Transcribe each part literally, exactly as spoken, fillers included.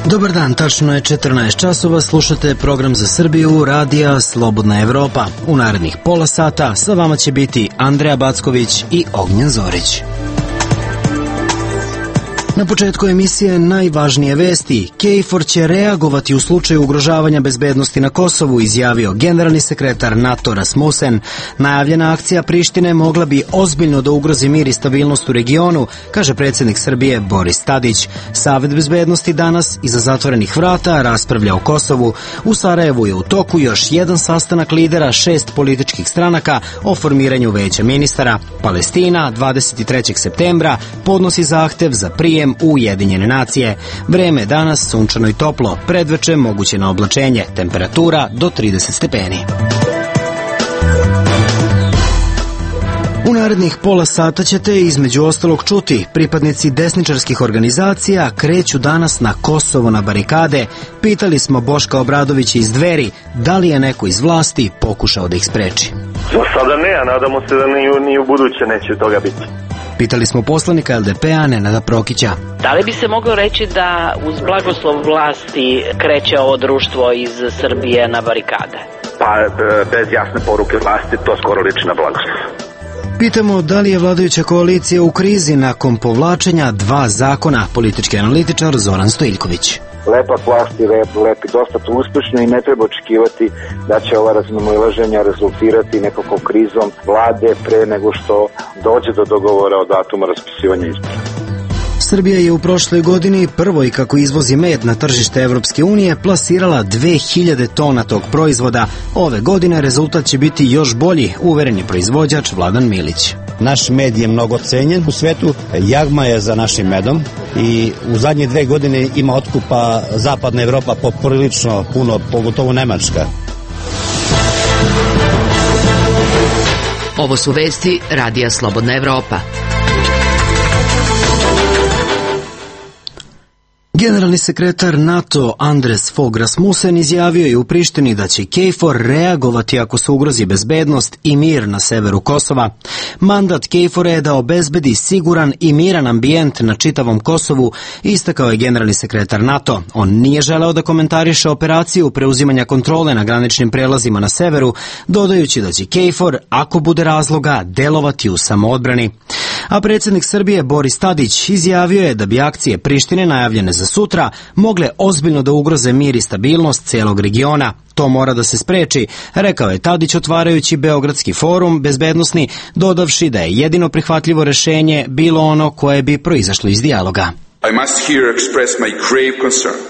Dobar dan, tačno je četrnaest časova, slušate program za Srbiju, radija Slobodna Evropa. U narednih pola sata sa vama će biti Andreja Backović i Ognjen Zorić. Na početku emisije najvažnije vesti. KFOR će reagovati u slučaju ugrožavanja bezbednosti na Kosovu, izjavio generalni sekretar NATO Rasmussen. Najavljena akcija Prištine mogla bi ozbiljno da ugrozi mir i stabilnost u regionu, kaže predsjednik Srbije Boris Tadić. Savet bezbednosti danas iza zatvorenih vrata raspravlja o Kosovu. U Sarajevu je u toku još jedan sastanak lidera šest političkih stranaka o formiranju veća ministara. Palestina dvadeset trećeg septembra podnosi zahtev za prijem u Ujedinjene nacije. Vreme danas sunčano i toplo, predveče moguće na oblačenje, temperatura do trideset stepeni. U narednih pola sata ćete između ostalog čuti pripadnici desničarskih organizacija kreću danas na Kosovo na barikade. Pitali smo Boška Obradovića iz Dveri da li je neko iz vlasti pokušao da ih spreči. Za sada ne, a nadamo se da ni, ni u buduće neće toga biti. Pitali smo poslanika L D P-a Nenada Prokića. Da li bi se moglo reći da uz blagoslov vlasti kreće ovo društvo iz Srbije na barikade? Pa bez jasne poruke vlasti to skoro liči na blagoslov. Pitamo da li je vladajuća koalicija u krizi nakon povlačenja dva zakona, politički analitičar Zoran Stojiljković. Lepa vlast i lepi dosta uspešno i ne treba očekivati da će ova razmimoilaženja rezultirati nekakvom krizom vlade pre nego što dođe do dogovora o datumu raspisivanja izbora. Srbija je u prošloj godini prvoj kako izvozi med na tržište Evropske unije plasirala dve hiljade tona tog proizvoda. Ove godine rezultat će biti još bolji, uveren je proizvođač Vladan Milić. Naš med je mnogo cenjen u svetu, jagma je za našim medom i u zadnje dve godine ima otkupa zapadna Evropa poprilično puno, pogotovo Nemačka. Ovo su vesti radija Slobodna Evropa. Generalni sekretar NATO Anders Fogh Rasmussen izjavio je u Prištini da će KFOR reagovati ako se ugrozi bezbednost i mir na severu Kosova. Mandat KFOR-a je da obezbedi siguran i miran ambijent na čitavom Kosovu, istakao je generalni sekretar NATO. On nije želeo da komentariše operaciju preuzimanja kontrole na graničnim prelazima na severu, dodajući da će KFOR, ako bude razloga, delovati u samoodbrani. A predsjednik Srbije Boris Tadić izjavio je da bi akcije Prištine najavljene za sutra mogle ozbiljno da ugroze mir i stabilnost celog regiona. To mora da se spreči, rekao je Tadić otvarajući Beogradski forum bezbednosni, dodavši da je jedino prihvatljivo rešenje bilo ono koje bi proizašlo iz dijaloga.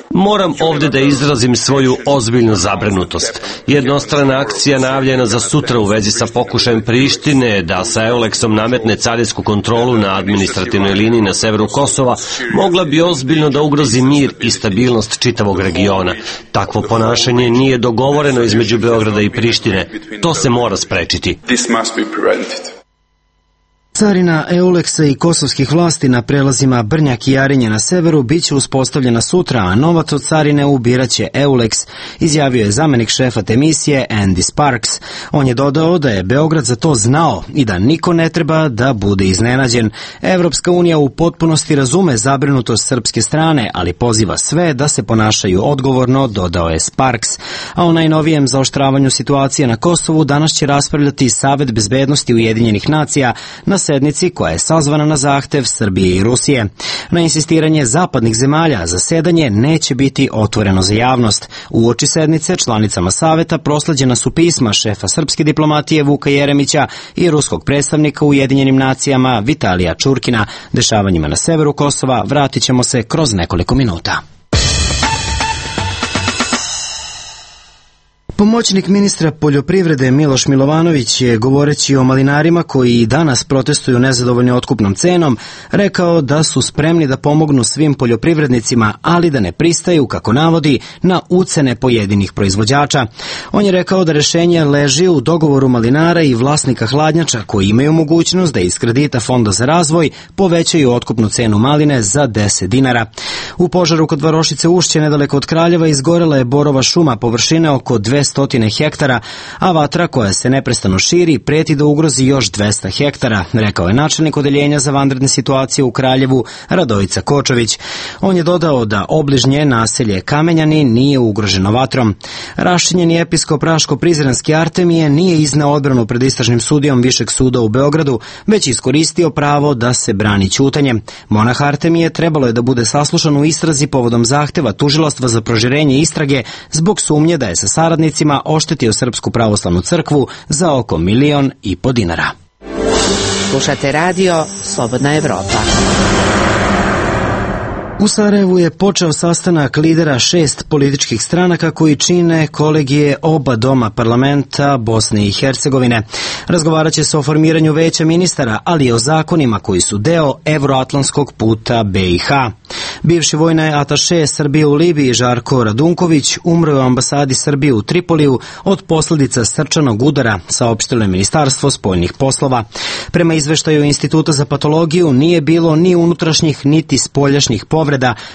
Moram ovdje da izrazim svoju ozbiljnu zabrinutost. Jednostrana akcija najavljena za sutra u vezi sa pokušajem Prištine da sa Euleksom nametne carinsku kontrolu na administrativnoj liniji na severu Kosova mogla bi ozbiljno da ugrozi mir i stabilnost čitavog regiona. Takvo ponašanje nije dogovoreno između Beograda i Prištine. To se mora sprečiti. Carina Euleksa i kosovskih vlasti na prelazima Brnjak i Jarinje na severu biće uspostavljena sutra, a novac od carine ubiraće Euleks, izjavio je zamenik šefa te misije Andy Sparks. On je dodao da je Beograd za to znao i da niko ne treba da bude iznenađen. Evropska unija u potpunosti razume zabrinutost srpske strane, ali poziva sve da se ponašaju odgovorno, dodao je Sparks. A o najnovijem zaoštravanju situacije na Kosovu danas će raspravljati Savet bezbednosti Ujedinjenih nacija na sednici koja je sazvana na zahtev Srbije i Rusije. Na insistiranje zapadnih zemalja zasedanje neće biti otvoreno za javnost. Uoči sednice članicama saveta prosleđena su pisma šefa srpske diplomatije Vuka Jeremića i ruskog predstavnika u Ujedinjenim nacijama Vitalija Čurkina. Dešavanjima na severu Kosova vratit ćemo se kroz nekoliko minuta. Pomoćnik ministra poljoprivrede Miloš Milovanović je, govoreći o malinarima koji i danas protestuju nezadovoljni otkupnom cenom, rekao da su spremni da pomognu svim poljoprivrednicima, ali da ne pristaju, kako navodi, na ucene pojedinih proizvođača. On je rekao da rešenje leži u dogovoru malinara i vlasnika hladnjača koji imaju mogućnost da iz kredita Fonda za razvoj povećaju otkupnu cenu maline za deset dinara. U požaru kod Varošice Ušće, nedaleko od Kraljeva, izgorela je borova šuma površine oko dvesta hektara, a vatra koja se neprestano širi preti da ugrozi još dvesta hektara, rekao je načelnik odeljenja za vanredne situacije u Kraljevu Radojica Kočović. On je dodao da obližnje naselje Kamenjani nije ugroženo vatrom. Raščinjeni episkop Raško-Prizrenski Artemije nije izneo odbranu pred istražnim sudijom Višeg suda u Beogradu, već iskoristio pravo da se brani ćutanjem. Monah Artemije trebalo je da bude saslušan u istrazi povodom zahteva tužilaštva za proširenje istrage zbog sumnje da je sa saradnicima oštetio Srpsku pravoslavnu crkvu za oko milion i po dinara. Slušate radio Slobodna Evropa. U Sarajevu je počeo sastanak lidera šest političkih stranaka koji čine kolegije oba doma parlamenta Bosne i Hercegovine. Razgovarat će se o formiranju veća ministara, ali i o zakonima koji su deo evroatlantskog puta be i ha. Bivši vojni ataše Srbije u Libiji Žarko Radunković umro je u ambasadi Srbije u Tripoliju od posljedica srčanog udara, saopštilo je Ministarstvo spoljnih poslova. Prema izveštaju Instituta za patologiju nije bilo ni unutrašnjih niti spoljašnjih povreda,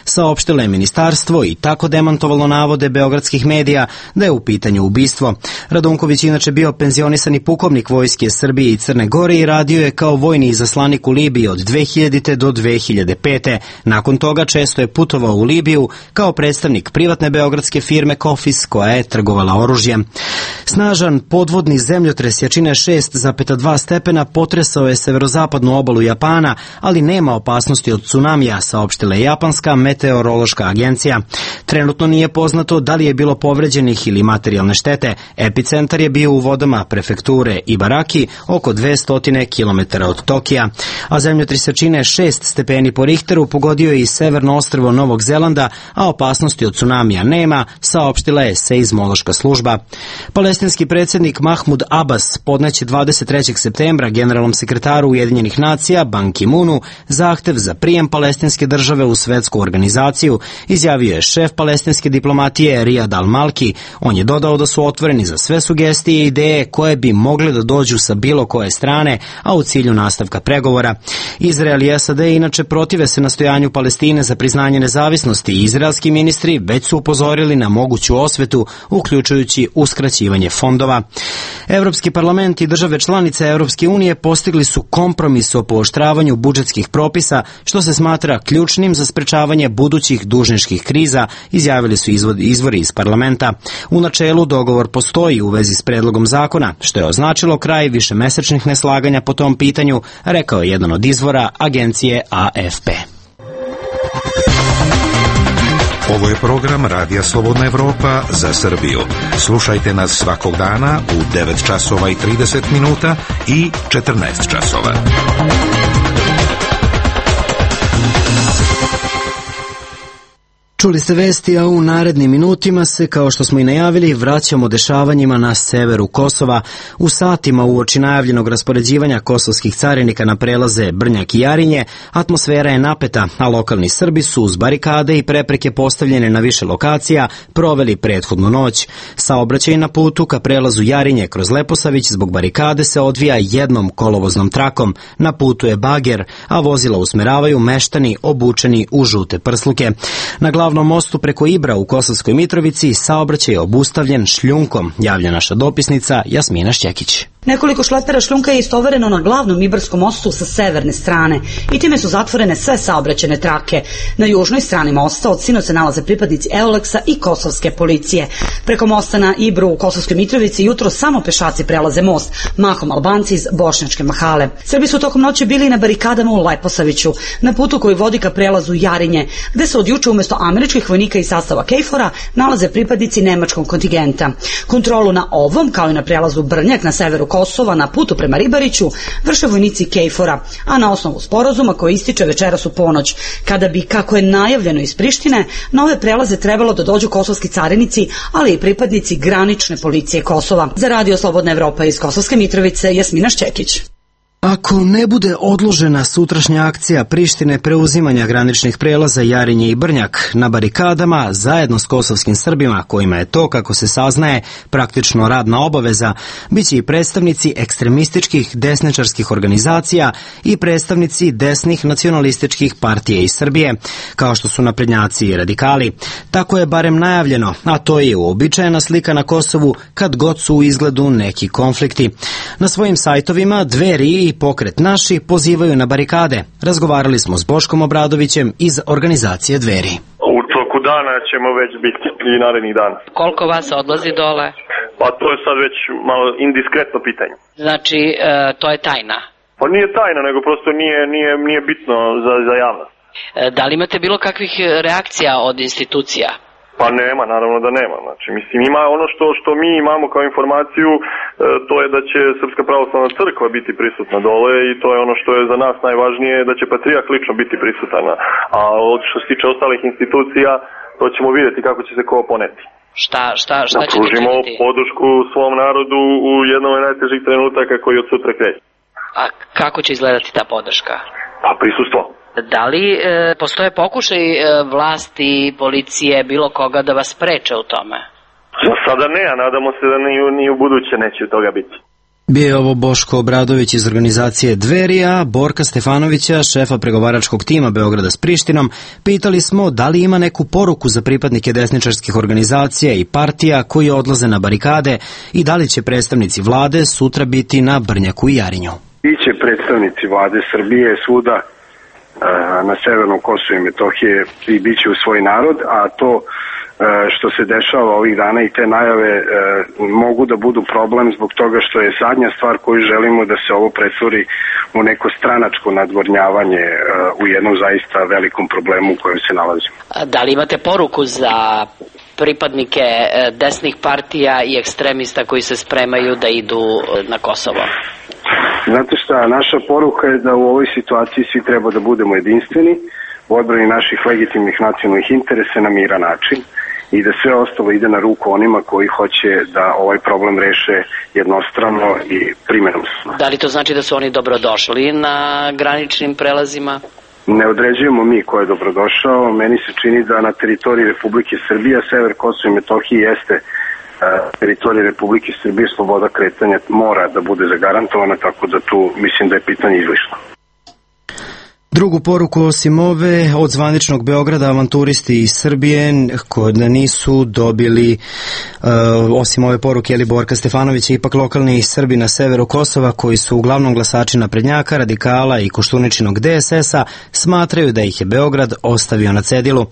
saopštilo je ministarstvo i tako demantovalo navode beogradskih medija da je u pitanju ubistvo. Radunković inače bio penzionisani pukovnik vojske Srbije i Crne Gore i radio je kao vojni izaslanik u Libiji od dve hiljadite do dve hiljade pete. Nakon toga često je putovao u Libiju kao predstavnik privatne beogradske firme Kofis koja je trgovala oružjem. Snažan podvodni zemljotres jačine šest zarez dva stepena potresao je severozapadnu obalu Japana, ali nema opasnosti od tsunamija, saopštila je japanska meteorološka agencija. Trenutno nije poznato da li je bilo povređenih ili materijalne štete. Epicentar je bio u vodama prefekture Ibaraki, oko dvesta kilometara od Tokija, a zemljotres jačine šest stepeni po Richteru pogodio je i severno ostrvo Novog Zelanda, a opasnosti od tsunamija nema, saopštila je seizmološka služba. Palestinski predsjednik Mahmud Abbas podneće dvadeset trećeg septembra generalnom sekretaru Ujedinjenih nacija Ban Ki-moonu zahtev za prijem palestinske države u svetsku organizaciju, izjavio je šef palestinske diplomatije Riyad al-Malki. On je dodao da su otvoreni za sve sugestije i ideje koje bi mogle da dođu sa bilo koje strane, a u cilju nastavka pregovora. Izrael i es a de inače protive se nastojanju Palestine za priznanje nezavisnosti i izraelski ministri već su upozorili na moguću osvetu, uključujući uskraćivanje fondova. Evropski parlament i države članice Evropske unije postigli su kompromis o pooštravanju budžetskih propisa, što se smatra ključnim za sprečavanje budućih dužničkih kriza, izjavili su izvori iz parlamenta. U načelu dogovor postoji u vezi s predlogom zakona, što je označilo kraj višemesečnih neslaganja po tom pitanju, rekao je jedan od izvora agencije a ef pe. Ovo je program Radija Slobodna Evropa za Srbiju. Slušajte nas svakog dana u devet časova i trideset minuta i četrnaest časova. Čuli ste vesti, a u narednim minutima se, kao što smo i najavili, vraćamo dešavanjima na severu Kosova. U satima uoči najavljenog raspoređivanja kosovskih carinika na prelaze Brnjak i Jarinje, atmosfera je napeta, a lokalni Srbi su uz barikade i prepreke postavljene na više lokacija proveli prethodnu noć. Saobraćaj na putu ka prelazu Jarinje kroz Leposavić zbog barikade se odvija jednom kolovoznom trakom. Na putu je bager, a vozila usmeravaju meštani obučeni u žute prsluke. Na glavnom mostu preko Ibra u Kosovskoj Mitrovici saobraćaj je obustavljen šljunkom, javlja naša dopisnica Jasmina Šćekić. Nekoliko šlepera šljunka je istovareno na glavnom Ibarskom mostu sa severne strane i time su zatvorene sve saobraćajne trake. Na južnoj strani mosta od sinoć se nalaze pripadnici Euleksa i kosovske policije. Preko mosta na Ibru u Kosovskoj Mitrovici jutro samo pešaci prelaze most, mahom Albanci iz Bošnjačke Mahale. Srbi su tokom noći bili na barikadama u Leposaviću, na putu koji vodi ka prelazu Jarinje, gde se od juče umjesto američkih vojnika iz sastava Kejfora nalaze pripadnici nemačkog kontingenta. Kontrolu na ovom, kao i na prelazu Brnjak na severu Kosova na putu prema Ribariću vrše vojnici Kejfora, a na osnovu sporazuma koji ističe večeras u ponoć, kada bi, kako je najavljeno iz Prištine, na ove prelaze trebalo da dođu kosovski carinici, ali i pripadnici granične policije Kosova. Za Radio Slobodna Evropa iz Kosovske Mitrovice, Jasmina Šćekić. Ako ne bude odložena sutrašnja akcija Prištine preuzimanja graničnih prelaza Jarinje i Brnjak na barikadama, zajedno s kosovskim Srbima, kojima je to, kako se saznaje, praktično radna obaveza, bit će i predstavnici ekstremističkih desničarskih organizacija i predstavnici desnih nacionalističkih partija iz Srbije, kao što su naprednjaci i radikali. Tako je barem najavljeno, a to je uobičajena slika na Kosovu kad god su u izgledu neki konflikti. Na svojim sajtovima Dveri i Pokret naši pozivaju na barikade. Razgovarali smo s Boškom Obradovićem iz organizacije Dveri. U toku dana ćemo već biti i narednih dana. Koliko vas odlazi dole? Pa to je sad već malo indiskretno pitanje. Znači, e, to je tajna? Pa nije tajna, nego prosto nije, nije, nije bitno za, za javnost. E, da li imate bilo kakvih reakcija od institucija? Pa nema, naravno da nema. Znači, mislim, ima ono što, što mi imamo kao informaciju, e, to je da će Srpska pravoslavna crkva biti prisutna dole i to je ono što je za nas najvažnije, da će Patrijah lično biti prisutan. A od što se tiče ostalih institucija, to ćemo vidjeti kako će se ko poneti. Šta, šta, šta da ćete pružimo činiti? podršku svom narodu u jednom od najtežih trenutaka koji od sutra kreće. A kako će izgledati ta podrška? Pa prisustvo. Da li e, postoje pokušaj e, vlasti, policije, bilo koga da vas spreče u tome? Za sada ne, a nadamo se da ni, ni u buduće neće toga biti. Bio je ovo Boško Obradović iz organizacije Dverija, Borka Stefanovića, šefa pregovaračkog tima Beograda s Prištinom. Pitali smo da li ima neku poruku za pripadnike desničarskih organizacija i partija koji odlaze na barikade i da li će predstavnici vlade sutra biti na Brnjaku i Jarinju. Biće predstavnici vlade Srbije svuda na severnom Kosovu i Metohije i bit će u svoj narod, a to što se dešava ovih dana i te najave mogu da budu problem zbog toga što je zadnja stvar koju želimo da se ovo pretvori u neko stranačko nadgornjavanje u jednom zaista velikom problemu u kojem se nalazimo. Da li imate poruku za pripadnike desnih partija i ekstremista koji se spremaju da idu na Kosovo? Znate šta, naša poruka je da u ovoj situaciji svi treba da budemo jedinstveni u odbrani naših legitimnih nacionalnih interesa na miran način i da sve ostalo ide na ruku onima koji hoće da ovaj problem reše jednostrano i primenom. Da li to znači da su oni dobrodošli na graničnim prelazima? Ne određujemo mi ko je dobrodošao. Meni se čini da na teritoriji Republike Srbije, sever Kosova i Metohije jeste teritorije Republike Srbije, sloboda kretanja mora da bude zagarantovana, tako da tu mislim da je pitanje izlišno. Drugu poruku osim ove od zvaničnog Beograda avanturisti iz Srbije koji nisu dobili uh, osim ove poruke ili Borka Stefanovića, ipak lokalni Srbi na severu Kosova koji su uglavnom glasači naprednjaka, radikala i Koštuničinog D S S-a smatraju da ih je Beograd ostavio na cedilu.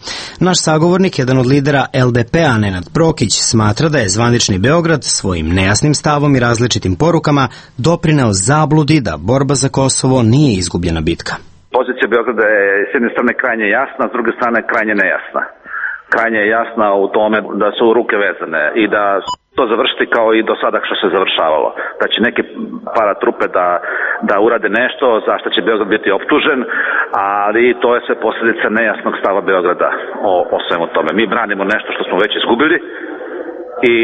Naš sagovornik, jedan od lidera L D P-a Nenad Prokić, smatra da je zvanični Beograd svojim nejasnim stavom i različitim porukama doprineo zabludi da borba za Kosovo nije izgubljena bitka. Pozicija Beograda je s jedne strane krajnje jasna, s druge strane krajnje nejasna. Krajnje je jasna u tome da su ruke vezane i da to završiti kao i do sada što se završavalo. Da će neke paratrupe da, da urade nešto za što će Beograd biti optužen, ali to je sve posljedica nejasnog stava Beograda o, o svemu tome. Mi branimo nešto što smo već izgubili i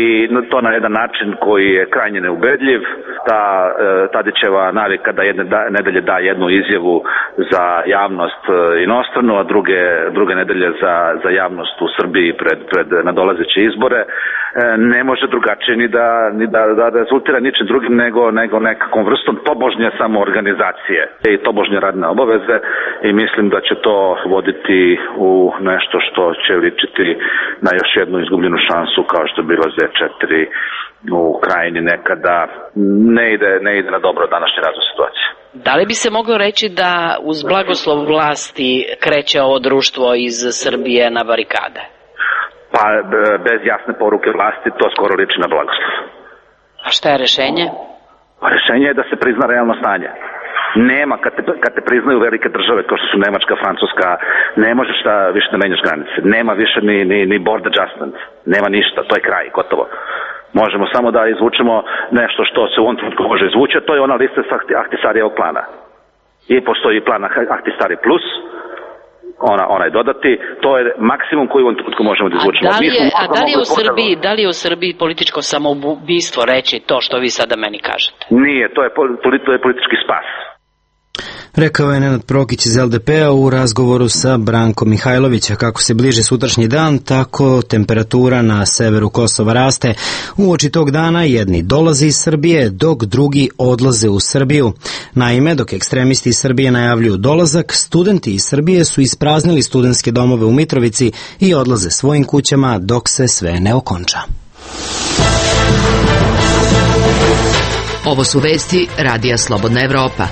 to na jedan način koji je krajnje neubedljiv. Ta e, Tadićeva navika da jedne da, nedelje da jednu izjavu za javnost e, inostranu, a druge, druge nedelje za, za javnost u Srbiji pred, pred nadolazeće izbore, e, ne može drugačije ni da, ni da, da rezultira ničim drugim nego, nego nekakvom vrstom tobožnje samoorganizacije i tobožnje radne obaveze i mislim da će to voditi u nešto što će ličiti na još jednu izgubljenu šansu kao što je bilo Z četiri u Krajini nekada. Ne ide, ne ide na dobro današnje razvoj situacije. Da li bi se moglo reći da uz blagoslov vlasti kreće ovo društvo iz Srbije na barikade? Pa bez jasne poruke vlasti to skoro liči na blagoslov. A šta je rešenje? Pa rešenje je da se prizna realno stanje. Nema, kad te, kad te priznaju velike države kao što su Nemačka, Francuska, ne možeš da više ne menjaš granice. Nema više ni, ni, ni border adjustment. Nema ništa, to je kraj, gotovo. Možemo samo da izvučemo nešto što se u ovom trenutku može izvući, to je ona lista Ahtisarijevog plana. I postoji plan Ahtisari plus, ona, onaj dodati, to je maksimum koji u ovom trenutku možemo da izvučemo. A da li je, a da li je u Srbiji, da li je u Srbiji političko samoubistvo reći to što vi sada meni kažete? Nije, to je, to je politički spas. Rekao je Nenad Prokić iz el de pe-a u razgovoru sa Brankom Mihajlovića. Kako se bliži sutrašnji dan, tako temperatura na severu Kosova raste. Uoči tog dana jedni dolaze iz Srbije, dok drugi odlaze u Srbiju. Naime, dok ekstremisti iz Srbije najavljuju dolazak, studenti iz Srbije su ispraznili studentske domove u Mitrovici i odlaze svojim kućama dok se sve ne okonča. Ovo su vesti Radija Slobodna Evropa.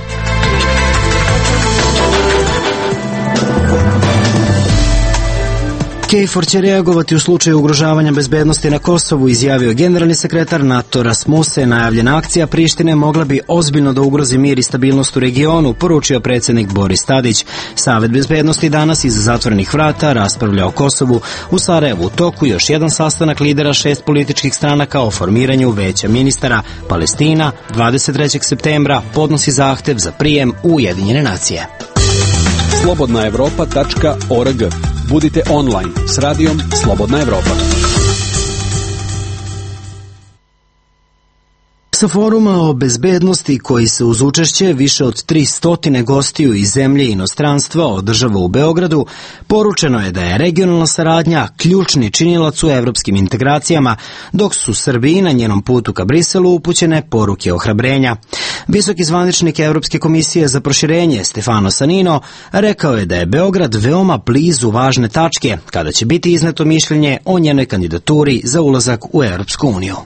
KFOR će reagovati u slučaju ugrožavanja bezbednosti na Kosovu, izjavio generalni sekretar NATO Rasmussen. Najavljena akcija Prištine mogla bi ozbiljno da ugrozi mir i stabilnost u regionu, poručio predsjednik Boris Tadić. Savet bezbednosti danas iza zatvorenih vrata raspravlja o Kosovu. U Sarajevu u toku još jedan sastanak lidera šest političkih stranaka o formiranju veća ministara. Palestina dvadeset trećeg septembra podnosi zahtev za prijem u Ujedinjene nacije. slobodna evropa tačka org. Budite online s radijom Slobodna Evropa. Sa foruma o bezbednosti koji se uz učešće više od tristo gostiju iz zemlje i inostranstva održava u Beogradu, poručeno je da je regionalna saradnja ključni činilac u evropskim integracijama, dok su Srbiji na njenom putu ka Briselu upućene poruke ohrabrenja. Visoki zvaničnik Evropske komisije za proširenje Stefano Sanino rekao je da je Beograd veoma blizu važne tačke kada će biti izneto mišljenje o njenoj kandidaturi za ulazak u Evropsku uniju.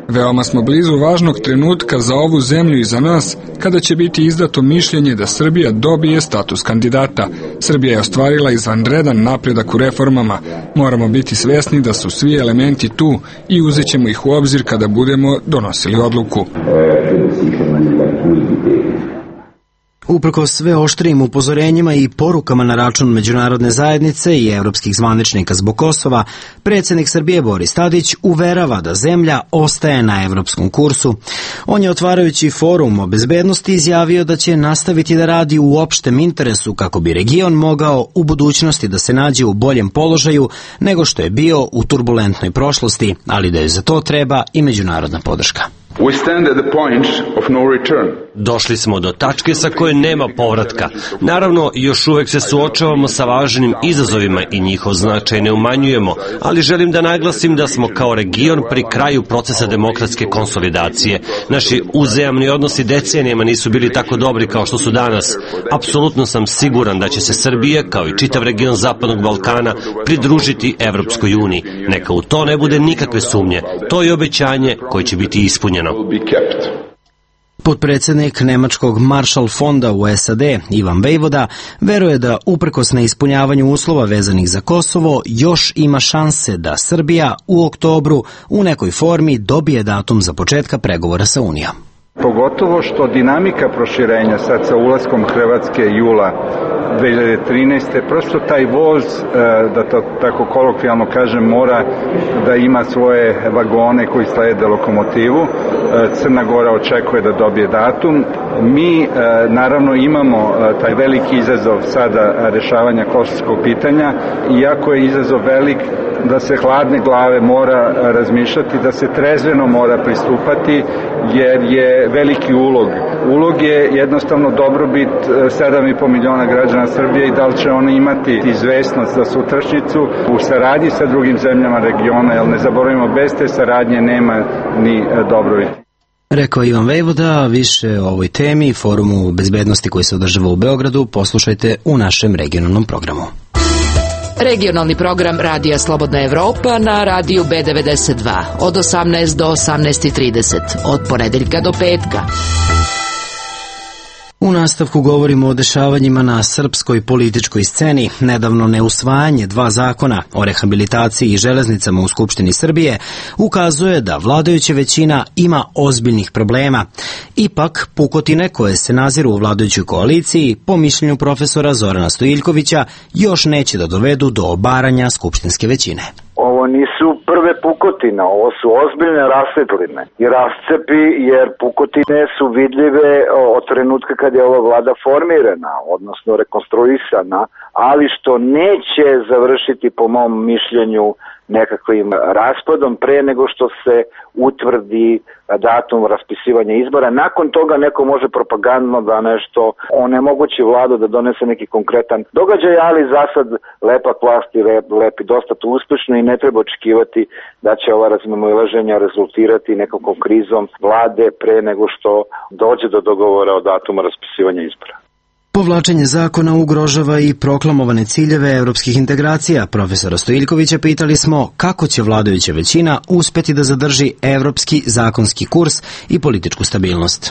Veoma smo blizu važnog trenutka za ovu zemlju i za nas, kada će biti izdato mišljenje da Srbija dobije status kandidata. Srbija je ostvarila izvanredan napredak u reformama. Moramo biti svesni da su svi elementi tu i uzet ćemo ih u obzir kada budemo donosili odluku. Uprkos sve oštrijim upozorenjima i porukama na račun međunarodne zajednice i evropskih zvaničnika zbog Kosova, predsjednik Srbije Boris Tadić uverava da zemlja ostaje na evropskom kursu. On je otvarajući forum o bezbednosti izjavio da će nastaviti da radi u opštem interesu kako bi region mogao u budućnosti da se nađe u boljem položaju nego što je bio u turbulentnoj prošlosti, ali da je za to treba i međunarodna podrška. We stand at the point of no return. Došli smo do tačke sa koje nema povratka. Naravno, još uvek se suočavamo sa važnim izazovima i njihov značaj ne umanjujemo, ali želim da naglasim da smo kao region pri kraju procesa demokratske konsolidacije. Naši uzajamni odnosi decenijama nisu bili tako dobri kao što su danas. Apsolutno sam siguran da će se Srbija, kao i čitav region Zapadnog Balkana, pridružiti Evropskoj uniji. Neka u to ne bude nikakve sumnje. To je obećanje koje će biti ispunjeno. Potpredsjednik Nemačkog Marshall fonda u es a de, Ivan Vejvoda, veruje da uprkos neispunjavanju uslova vezanih za Kosovo, još ima šanse da Srbija u oktobru u nekoj formi dobije datum za početka pregovora sa Unijom. Pogotovo što dinamika proširenja sad sa ulaskom Hrvatske jula dve hiljade trinaeste. prosto taj voz, da to tako kolokvijalno kažem, mora da ima svoje vagone koji slede lokomotivu. Crna Gora očekuje da dobije datum. Mi naravno imamo taj veliki izazov sada rešavanja kosovskog pitanja, iako je izazov velik, da se hladne glave mora razmišljati, da se trezveno mora pristupati, jer je veliki ulog. Ulog je jednostavno dobrobit sedam i po miliona građana Srbije i da li će oni imati izvesnost za sutrašnjicu u saradnji sa drugim zemljama regiona, jer ne zaboravimo, bez te saradnje nema ni dobrobit. Rekao Ivan Vejvoda. Više o ovoj temi, forumu bezbednosti koji se održava u Beogradu, poslušajte u našem regionalnom programu. Regionalni program Radija Slobodna Evropa na radiju be devedeset dva od osamnaest do osamnaest i trideset, od ponedeljka do petka. U nastavku govorimo o dešavanjima na srpskoj političkoj sceni. Nedavno neusvajanje dva zakona o rehabilitaciji i železnicama u Skupštini Srbije ukazuje da vladajuća većina ima ozbiljnih problema. Ipak, pukotine koje se naziru u vladajućoj koaliciji, po mišljenju profesora Zorana Stojiljkovića, još neće da dovedu do obaranja skupštinske većine. Ovo nisu prve pukotine pukotina, ovo su ozbiljne rasvetline i rascepi, jer pukotine su vidljive od trenutka kad je ova vlada formirana, odnosno rekonstruisana, ali što neće završiti po mom mišljenju nekakvim raspadom pre nego što se utvrdi datum raspisivanja izbora. Nakon toga neko može propagandno da nešto onemogući vladu da donese neki konkretan događaj, ali za sad lepa vlast i lep, lep i dosta to uspešno i ne treba očekivati da će ova razmimoilaženja rezultirati nekakvom krizom vlade pre nego što dođe do dogovora o datumu raspisivanja izbora. Povlačenje zakona ugrožava i proklamovane ciljeve evropskih integracija. Profesora Stojiljkovića pitali smo kako će vladajuća većina uspeti da zadrži evropski zakonski kurs i političku stabilnost.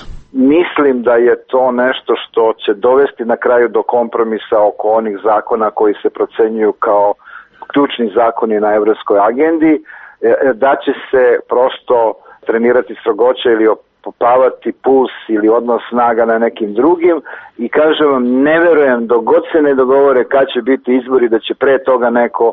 Mislim da je to nešto što će dovesti na kraju do kompromisa oko onih zakona koji se procenjuju kao ključni zakoni na evropskoj agendi, da će se prosto trenirati strogoća ili popavati puls ili odnos snaga na nekim drugim i kažem vam, ne verujem dok god se ne dogovore kad će biti izbori da će pre toga neko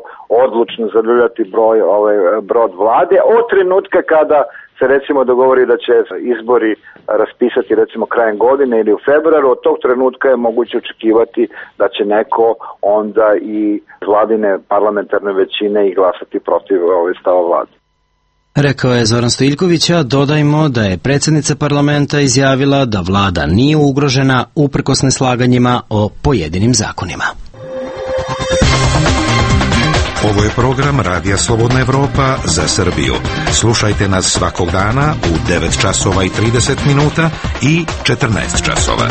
odlučno zadrljati broj, ovaj, brod vlade od trenutka kada se recimo dogovori da će izbori raspisati recimo krajem godine ili u februaru, od tog trenutka je moguće očekivati da će neko onda i vladine parlamentarne većine i glasati protiv ove stava vlade. Rekao je Zoran Stojiljković, a dodajmo da je predsjednica parlamenta izjavila da vlada nije ugrožena uprkos neslaganjima o pojedinim zakonima. Ovo je program Radija Slobodna Evropa za Srbiju. Slušajte nas svakog dana u devet časova i trideset minuta i četrnaest časova.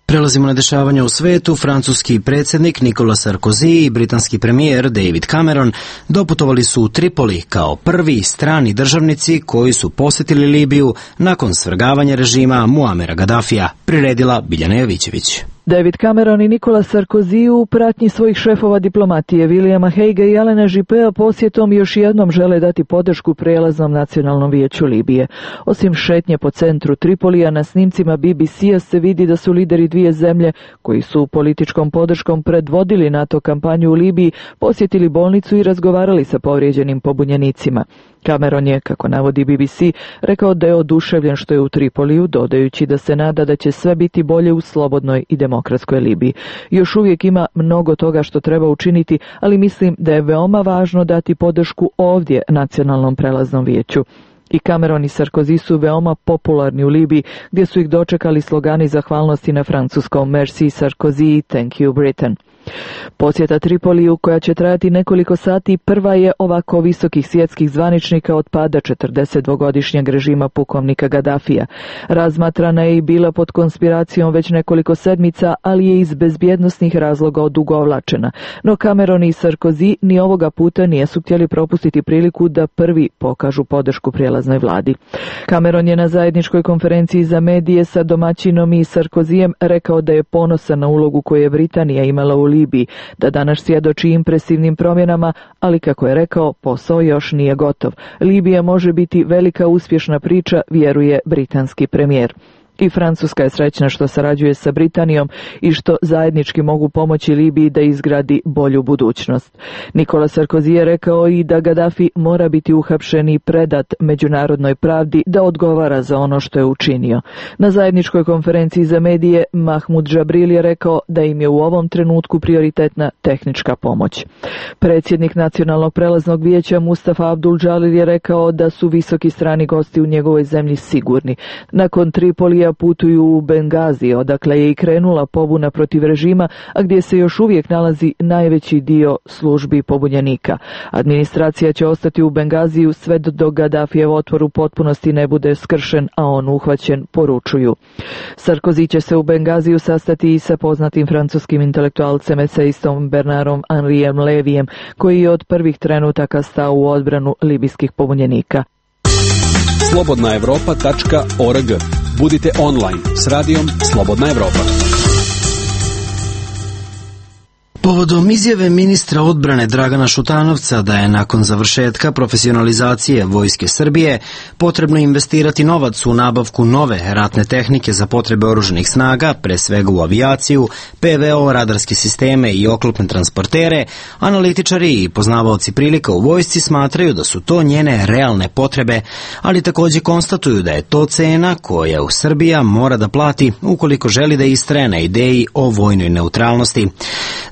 Prelazimo na dešavanja u svetu. Francuski predsjednik Nicolas Sarkozy i britanski premijer David Cameron doputovali su u Tripoli kao prvi strani državnici koji su posjetili Libiju nakon svrgavanja režima Muamera Gaddafija, priredila Biljana Jovićević. David Cameron i Nicolas Sarkozy u pratnji svojih šefova diplomatije Williama Haguea i Alena Juppea posjetom još jednom žele dati podršku prijelaznom nacionalnom vijeću Libije. Osim šetnje po centru Tripolija, na snimcima B B C-a se vidi da su lideri dvije zemlje koji su političkom podrškom predvodili NATO kampanju u Libiji posjetili bolnicu i razgovarali sa povrijeđenim pobunjenicima. Cameron je, kako navodi B B C, rekao da je oduševljen što je u Tripoliju, dodajući da se nada da će sve biti bolje u slobodnoj i demokratskoj Libiji. Još uvijek ima mnogo toga što treba učiniti, ali mislim da je veoma važno dati podršku ovdje nacionalnom prelaznom vijeću. I Cameron i Sarkozy su veoma popularni u Libiji, gdje su ih dočekali slogani zahvalnosti na francuskom Merci Sarkozy, Thank you Britain. Posjeta Tripoliju, koja će trajati nekoliko sati, prva je ovako visokih svjetskih zvaničnika od pada četrdesetdvogodišnjeg režima pukovnika Gaddafija. Razmatrana je i bila pod konspiracijom već nekoliko sedmica, ali je iz bezbjednosnih razloga odugovlačena. No Cameron i Sarkozy ni ovoga puta nisu htjeli propustiti priliku da prvi pokažu podršku prijelaznoj vladi. Cameron je na zajedničkoj konferenciji za medije sa domaćinom i Sarkozyjem rekao da je ponosan na ulogu koju je Britanija imala u Libiji, da danas svjedoči impresivnim promjenama, ali kako je rekao, posao još nije gotov. Libija može biti velika uspješna priča, vjeruje britanski premijer. I Francuska je srećna što sarađuje sa Britanijom i što zajednički mogu pomoći Libiji da izgradi bolju budućnost. Nicolas Sarkozy je rekao i da Gaddafi mora biti uhapšen i predat međunarodnoj pravdi da odgovara za ono što je učinio. Na zajedničkoj konferenciji za medije Mahmoud Jabril je rekao da im je u ovom trenutku prioritetna tehnička pomoć. Predsjednik Nacionalnog prelaznog vijeća Mustafa Abdul Jalil je rekao da su visoki strani gosti u njegovoj zemlji sigurni. Nakon Tripolija putuju u Bengazi, odakle je i krenula pobuna protiv režima, a gdje se još uvijek nalazi najveći dio službi pobunjenika. Administracija će ostati u Bengaziju sve dok Gaddafijev otvor u potpunosti ne bude skršen, a on uhvaćen, poručuju. Sarkozy će se u Bengaziju sastati i sa poznatim francuskim intelektualcem eseistom Bernardom Henrijem Levijem, koji je od prvih trenutaka stao u odbranu libijskih pobunjenika. slobodna evropa tačka org. Budite online s radijom Slobodna Evropa. Povodom izjave ministra odbrane Dragana Šutanovca da je nakon završetka profesionalizacije Vojske Srbije potrebno investirati novac u nabavku nove ratne tehnike za potrebe oružanih snaga, pre svega u avijaciju, P V O, radarske sisteme i oklopne transportere, analitičari i poznavaoci prilika u vojsci smatraju da su to njene realne potrebe, ali takođe konstatuju da je to cena koja u Srbija mora da plati ukoliko želi da istraje na ideji o vojnoj neutralnosti.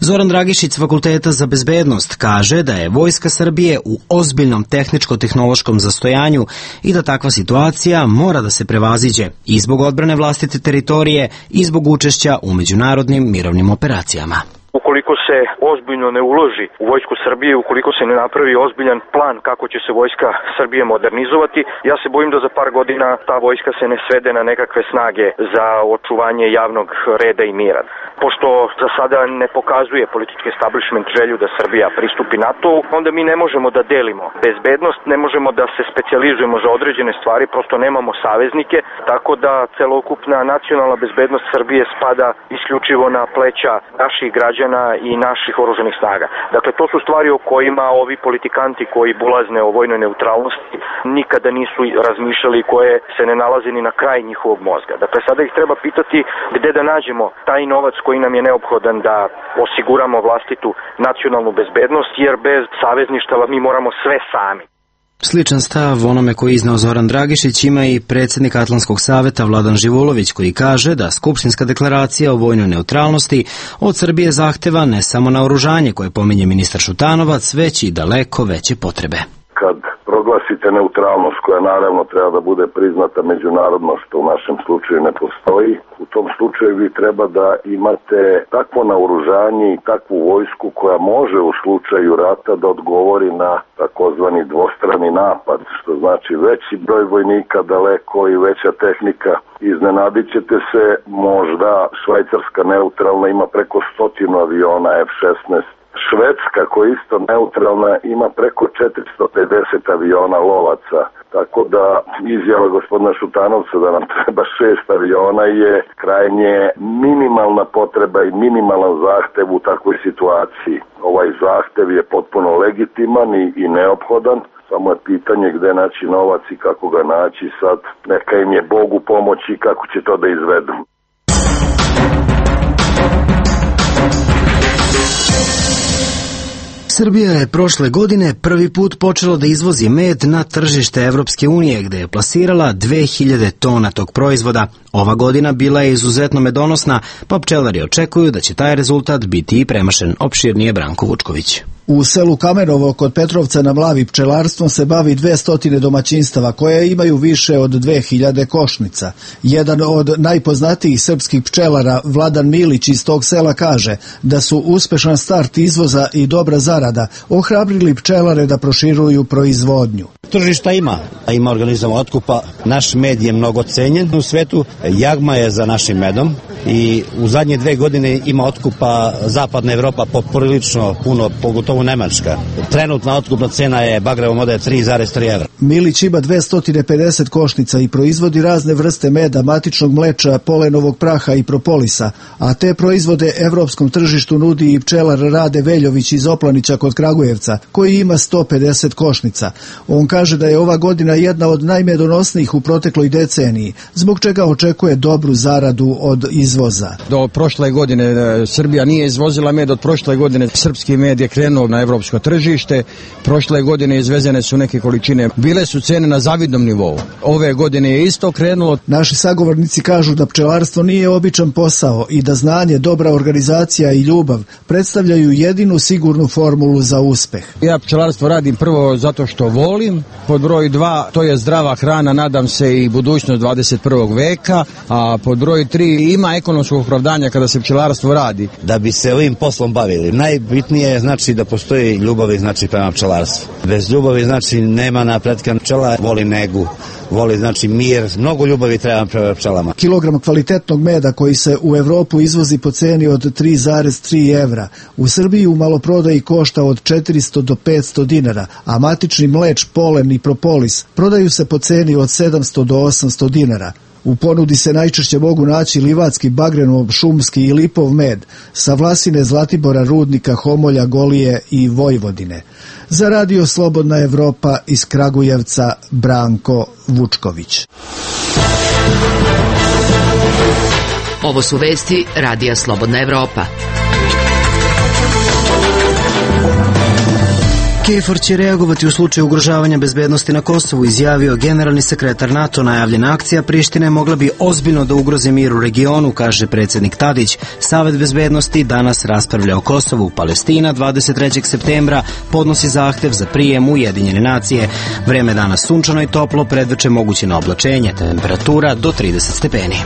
Zoran Dragišić s Fakulteta za bezbednost kaže da je Vojska Srbije u ozbiljnom tehničko-tehnološkom zastojanju i da takva situacija mora da se prevaziđe i zbog odbrane vlastite teritorije i zbog učešća u međunarodnim mirovnim operacijama. Ukoliko se ozbiljno ne uloži u Vojsku Srbije, ukoliko se ne napravi ozbiljan plan kako će se Vojska Srbije modernizovati, ja se bojim da za par godina ta vojska se ne svede na nekakve snage za očuvanje javnog reda i mira. Pošto za sada ne pokazuje politički establishment želju da Srbija pristupi NATO-u, onda mi ne možemo da delimo bezbednost, ne možemo da se specijalizujemo za određene stvari, prosto nemamo saveznike, tako da celokupna nacionalna bezbednost Srbije spada isključivo na pleća naših građana i naših oružanih snaga. Dakle, to su stvari o kojima ovi politikanti koji bulazne o vojnoj neutralnosti nikada nisu razmišljali, koje se ne nalaze ni na kraj njihovog mozga. Dakle, sada ih treba pitati gde da nađemo taj novac koji nam je neophodan da osiguramo vlastitu nacionalnu bezbednost, jer bez savezništava mi moramo sve sami. Sličan stav onome koji izneo Zoran Dragišić ima i predsjednik Atlantskog saveta Vladan Živolović, koji kaže da Skupštinska deklaracija o vojnoj neutralnosti od Srbije zahteva ne samo naoružanje koje pominje ministar Šutanovac, već i daleko veće potrebe. Kad proglasite neutralnost, koja naravno treba da bude priznata međunarodno, što u našem slučaju ne postoji, u tom slučaju vi treba da imate takvo naoružanje i takvu vojsku koja može u slučaju rata da odgovori na takozvani dvostrani napad, što znači veći broj vojnika daleko i veća tehnika. Iznenadit ćete se, možda Švajcarska neutralna ima preko stotinu aviona F šesnaest. Švedska, koja je isto neutralna, ima preko četiristo pedeset aviona lovaca. Tako da izjava gospodina Šutanovca da nam treba šest aviona je krajnje minimalna potreba i minimalan zahtev u takvoj situaciji. Ovaj zahtev je potpuno legitiman i, i neophodan. Samo je pitanje gde naći novac i kako ga naći. Sad neka im je Bog u pomoći kako će to da izvedu. Srbija je prošle godine prvi put počela da izvozi med na tržište Evropske unije, gde je plasirala dve hiljade tona tog proizvoda. Ova godina bila je izuzetno medonosna, pa pčelari očekuju da će taj rezultat biti i premašen. Opširnije Branko Vučković. U selu Kamenovo kod Petrovca na Mlavi pčelarstvom se bavi dvesta domaćinstava koje imaju više od dve hiljade košnica. Jedan od najpoznatijih srpskih pčelara, Vladan Milić iz tog sela, kaže da su uspešan start izvoza i dobra zarada ohrabrili pčelare da proširuju proizvodnju. Tržišta ima, ima organizam otkupa, naš med je mnogo cenjen u svetu, jagma je za našim medom i u zadnje dve godine ima otkupa zapadna Evropa poprilično puno, pogotovo Nemačka. Trenutna otkupna cena je bagrevom mode tri zarez tri evra. Milić ima dvesta pedeset košnica i proizvodi razne vrste meda, matičnog mleča, polenovog praha i propolisa, a te proizvode evropskom tržištu nudi i pčelar Rade Veljović iz Oplanića kod Kragujevca, koji ima sto pedeset košnica. On kaže da je ova godina jedna od najmedonosnijih u protekloj deceniji, zbog čega očekuje dobru zaradu od izvoza. Do prošle godine Srbija nije izvozila med, od prošle godine srpski med je krenuo na evropsko tržište, prošle godine izvezene su neke količine, bile su cene na zavidnom nivou. Ove godine je isto krenulo. Naši sagovornici kažu da pčelarstvo nije običan posao i da znanje, dobra organizacija i ljubav predstavljaju jedinu sigurnu formulu za uspeh. Ja pčelarstvo radim prvo zato što volim, pod broj dva to je zdrava hrana, nadam se i budućnost dvadeset prvog veka, a pod broj tri ima ekonomskog opravdanja kada se pčelarstvo radi. Da bi se ovim poslom bavili, najbitnije je znači da postoji ljubav znači prema pčelarstvu. Bez ljubavi znači nema napretka. Pčela voli negu, voli znači mir, mnogo ljubavi treba prema pčelama. Kilogram kvalitetnog meda koji se u Evropu izvozi po ceni od tri zarez tri evra, u Srbiji u maloprodaji košta od četiristo do petsto dinara, a matični mleč, polen i propolis prodaju se po ceni od sedamsto do osamsto dinara. U ponudi se najčešće mogu naći livatski, bagrenov, šumski i lipov med sa Vlasine, Zlatibora, Rudnika, Homolja, Golije i Vojvodine. Za Radio Slobodna Evropa iz Kragujevca Branko Vučković. Ovo su vesti Radija Slobodna Evropa. KFOR će reagovati u slučaju ugrožavanja bezbednosti na Kosovu, izjavio generalni sekretar NATO. Najavljena akcija Prištine mogla bi ozbiljno da ugrozi mir u regionu, kaže predsjednik Tadić. Savet bezbednosti danas raspravlja o Kosovu. Palestina dvadeset trećeg septembra podnosi zahtev za prijem u Ujedinjene nacije. Vreme danas sunčano i toplo, predveče moguće na oblačenje, temperatura do trideset stepeni.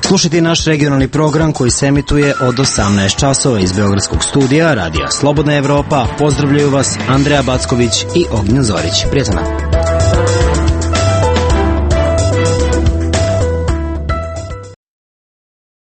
Slušajte naš regionalni program koji se emituje od osamnaest časova iz Beogradskog studija Radija Slobodna Evropa. Pozdravljaju vas Andreja Backović i Ognjen Zorić. Prijatno.